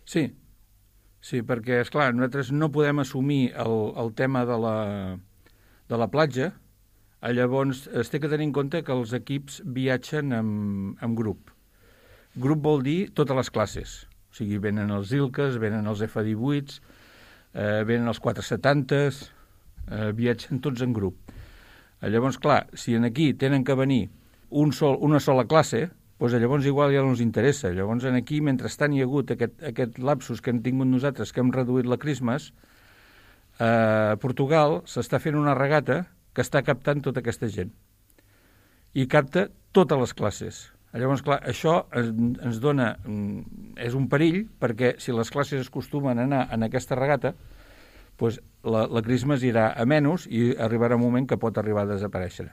Sí, sí, perquè, és clar, nosaltres no podem assumir el tema de la platja. Llavors es té que tenir en compte que els equips viatgen en grup. Grup vol dir totes les classes. O sigui, venen els ILCAs, venen els F18s, venen els 470s, viatgen tots en grup. Llavors, clar, si aquí tenen que venir una sola classe, doncs llavors igual ja no ens interessa. Llavors aquí, mentrestant hi ha hagut aquest lapsus que hem tingut nosaltres, que hem reduït la Christmas, a Portugal s'està fent una regata que està captant tota aquesta gent. I capta totes les classes. Llavors, clar, això ens dona... És un perill, perquè si les classes acostumen a anar en aquesta regata, doncs la Christmas irà a menys i arribarà un moment que pot arribar a desaparèixer.